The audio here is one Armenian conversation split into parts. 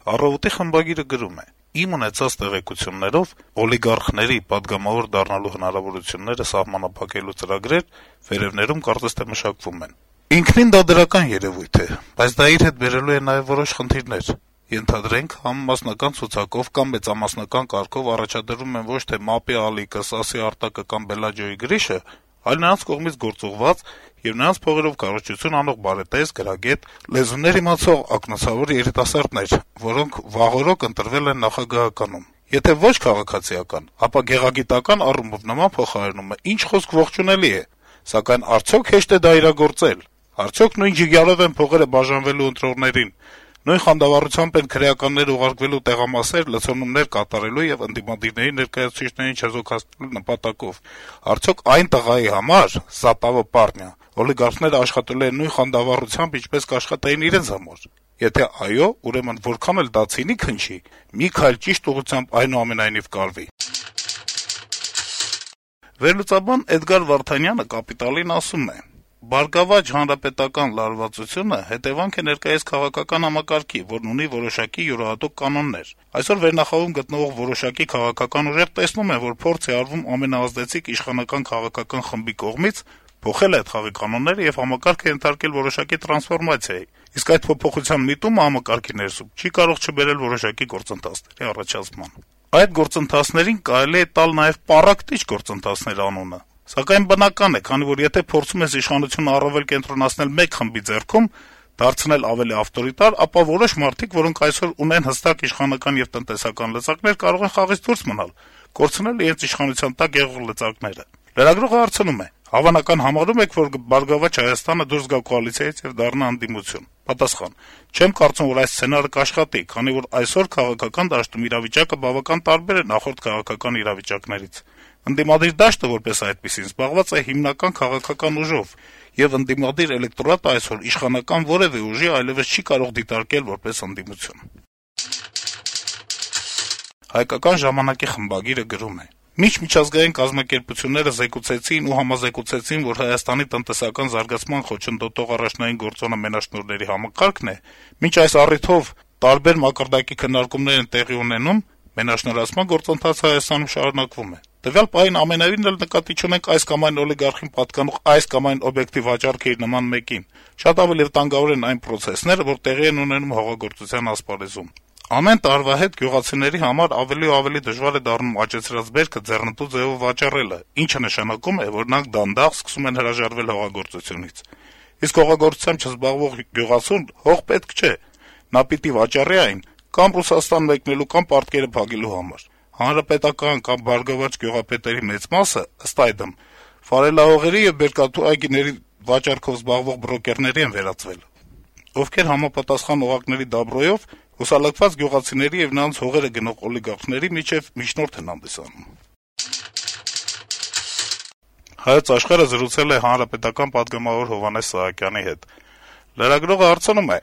Առավոտի խմբագիրը գրում է. «Իմ ունեցած տեղեկություններով օլիգարխների պատգամավոր դառնալու հնարավորությունները սահմանափակելու ծրագրեր վերևներում կարծես թե մշակվում են։ Ինքնին դա դրական երեւույթ է, բայց դա իր հետ բերելու է նաեւ որոշ խնդիրներ։ Ենթադրենք, համամասնական ցուցակով կամ մեծամասնական կարգով առաջադրում են ոչ թե ՄԱՊ-ի ալիքը, ՍԱՍ-ի արտակը կամ Բելաջոյի գրիշը, այլ նրանց կողմից գործուղված եւ նրանց փողերով քարոզչություն անող բարետես, գրագետ, լեզուներ իմացող ակնոցավոր երիտասարդներ, որոնք վաղօրոք ընտրվել են նախագահականում։ Եթե ոչ քաղաքացիական, ապա գեղագիտական առումով նման փոխարինումը ինչ խոսք ողջունելի է, սակայն արդյոք հեշտ է դա իրագործել։ Արդյոք նույն ջիգյալով են փողերը բաժանվելու ընտրողներին, նույն խանդավառությամբ են քրեականներ ուղարկվելու տեղամասեր, լցոնումներ կատարելու եւ ընդդիմադիրների ներկայացուցիչներին չեզոքացնելու նպատակով։ Արդյոք այն տղայի համար, Զապավո պարնյա, օլիգարխները աշխատելու են նույն խանդավառությամբ, ինչպես կաշխատեին իրենց համար։ Եթե այո, ուրեմն որքան էլ դա ցինիկ հնչի, մի քայլ ճիշտ ուղղությամբ այնուամենայնիվ կարվի»։ Վերլուծաբան Էդգար Վարդանյանը «Կապիտալ»-ին ասում է. «Բարգավաճ հանրապետական լարվածությունը հետեւանք է ներկայիս քաղաքական համակարգի, որն ունի որոշակի յուրահատուկ կանոններ։ Այսօր վերնախավում գտնվող որոշակի քաղաքական ուժեր տեսնում են, որ փորձ է արվում ամենաազդեցիկ իշխանական քաղաքական խմբի կողմից փոխել այդ խաղի կանոնները եւ համակարգը ենթարկել որոշակի տրանսֆորմացիայի, իսկ այդ փոփոխության միտումը համակարգի ներսում չի կարող չբերել որոշակի գործընթացների առաջացման։ Այդ գործընթացներին կարելի է տալ նաեւ պառակտիչ գործընթացներ անունը։ Սակայն բնական է, քանի որ եթե փորձում ես իշխանությունը առավել կենտրոնացնել մեկ խմբի ձեռքում, դարձնել ավելի ավտորիտար, ապա որոշ մարդիկ, որոնք այսօր ունեն հստակ իշխանական եւ տնտեսական լծակներ, կարող են խաղից դուրս մնալ, կորցնել իրենց իշխանության տակ եղող լծակները»։ Լրագրողը հարցնում է. «Հավանական համարում եք, որ Բարգավաճ Հայաստանը դուրս գա կոալիցիայից եւ դառնա ընդդիմություն»։ Պատասխան. «Չեմ կարծում, որ այս սցենարը կաշխատի, քանի որ այսօր քաղաքական դաշտում իրավիճակը բավական տարբեր է նախորդ քաղաքական իրավիճակներից։ Ընդդիմադիր դաշտը, որպես այդպիսին, զբաղված է հիմնական քաղաքական ուժով, եւ ընդդիմադիր էլեկտորատը այսօր իշխանական որեւէ ուժի այլեւս չի կարող դիտարկել որպես ընդդիմություն»։ Հայկական ժամանակի խմբագիրը գրում է. «Միջմիջազգային կազմակերպությունները զեկուցեցին ու համազեկուցեցին, որ Հայաստանի տնտեսական զարգացման խոչընդոտող առաջնային գործոնը մենաշնորհների համակարգն է, մինչ այս առիթով տարբեր մակարդակի քննարկումներ են տեղի ունենում, մենաշնորհացման գործընթացը Հայաստանում շարունակվում է։ Տվյալ պահին ամենևին էլ նկատի չունենք այս կամ այն օլիգարխին պատկանող այս կամ այն օբյեկտի վաճառքը իր նման մեկին։ Շատ ավելի վտանգավոր են այն պրոցեսները, որ տեղի են ունենում հողագործության ասպարեզում։ Ամեն տարվա հետ գյուղացիների համար ավելի ու ավելի դժվար է դառնում աճեցրած բերքը ձեռնտու ձևով վաճառելը, ինչը նշանակում է, որ նրանք դանդաղ սկսում են հրաժարվել հողագործությունից։ Իսկ հողագործությամբ չզբաղվող գյուղացուն հող պետք չէ, նա պիտի վաճառի այն կամ Ռուսաստան մեկնելու կամ պարտքերը փակելու համար։ Հանրապետական կամ բարգավաճ գյուղապետերի մեծ մասը, ըստ այդմ, ֆարելահողերի եւ բերկատու այգիների վաճառքով զբաղվող բրոկերների են վերածվել, ովքեր համապատասխան օղակների դաբրոյով հուսալքված գյուղացիների եւ նրանց հողերը գնող օլիգարխների միջև միջնորդ են հանդիսանում»։ Հայոց Աշխարհը զրուցել է հանրապետական պատգամավոր Հովհաննես Սահակյանի հետ։ Լրագրողը հարցնում է.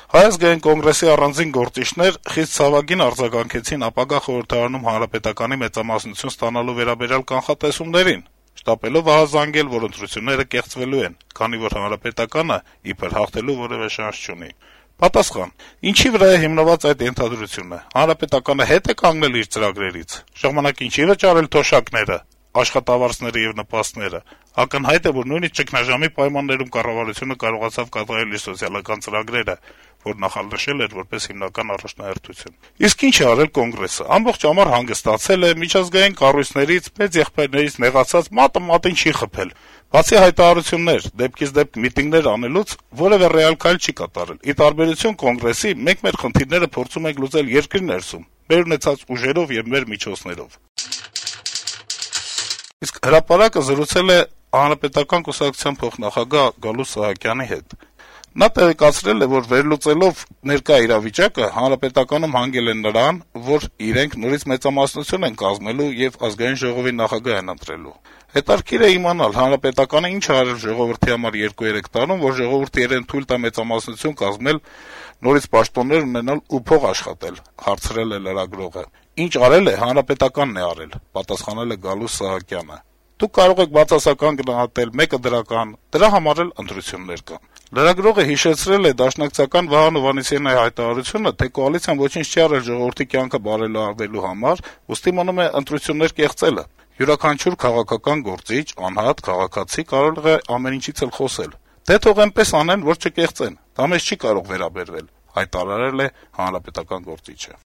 Հայ ազգային կոնգրեսի առանձին գործիչներ խիստ ցավագին արձագանքեցին ապագա խորհրդարանում հանրապետականի մեծամասնություն ստանալու վերաբերյալ կանխատեսումներին, շտապելով ահազանգել, որ ընտրությունները կեղծվելու են, քանի որ հանրապետականը իբր հաղթելու որեւէ շանս չունի։ Պատասխան. ինչի վրա է հիմնված այդ ենթադրությունը։ Հանրապետականը հետ է կանգնել իր ծրագրերից։ Ժամանակին չի վճարել թոշակները, աշխատավարձները եւ նպաստները։ Ակնհայտ է, որ նույնիսկ ճգնաժամի պայմաններում կառավարությունը կարողացավ կատարել իր սոցիալական ծրագրերը, որ նախանշել էր որպես հիմնական առաջնահերթություն։ Իսկ ինչ է արել կոնգրեսը։ Ամբողջ ամառ հանգստացել է, միջազգային կառույցներից, մեծ եղբայրներից նեղացած մատը մատին չի խփել։ Բացի հայտարարություններ, դեպքից դեպք միտինգներ անելուց որևէ ռեալ քայլ չի կատարել։ Ի տարբերություն կոնգրեսի, մենք մեր խնդիրները փորձում ենք լուծել երկրի ներսում, մեր ունեցած ուժերով եւ մեր միջոցներով։ Իսկ հրապարակը զրուցել է Հանրապետական կուսակցության փոխնախագահ Գալուստ Սահակյանի հետ։ Նա տեղեկացրել է, որ վերլուծելով ներկա իրավիճակը հանրապետականում հանգել են նրան, որ իրենք նորից մեծամասնություն են կազմելու եւ ազգային ժողովի նախագահ են ընտրելու։ Հետաքրքիր է իմանալ, հանրապետականը ինչ արել ժողովրդի համար 2-3 տարում, որ ժողովուրդը իրեն թույլ տա մեծամասնություն կազմել, նորից պաշտոններ ունենալ ու փող աշխատել, հարցրել է լրագրողը։ Ինչ արել է, հանրապետականն է արել, պատասխանել է Գալուստ Սահակյանը։ Դուք կարող եք բացասական գնահատել, մեկը դրական, դրա համար էլ ընտրություններ կան»։ Լրագրողը հիշեցրել է դաշնակցական Վահան Հովհաննիսյանի հայտարարությունը, թե կոալիցիան ոչինչ չի արել ժողովրդի կյանքը բարելավելու համար, ուստի մնում է ընտրություններ կեղծելը։ Յուրաքանչյուր քաղաքական գործիչ, անհատ, քաղաքացի կարող է ամեն ինչից էլ խոսել։ Դե թող այնպես անեն, որ չկեղծեն, դա մեզ չի կարող վերաբերվել, հայտարարել է հանրապետական գործիչը։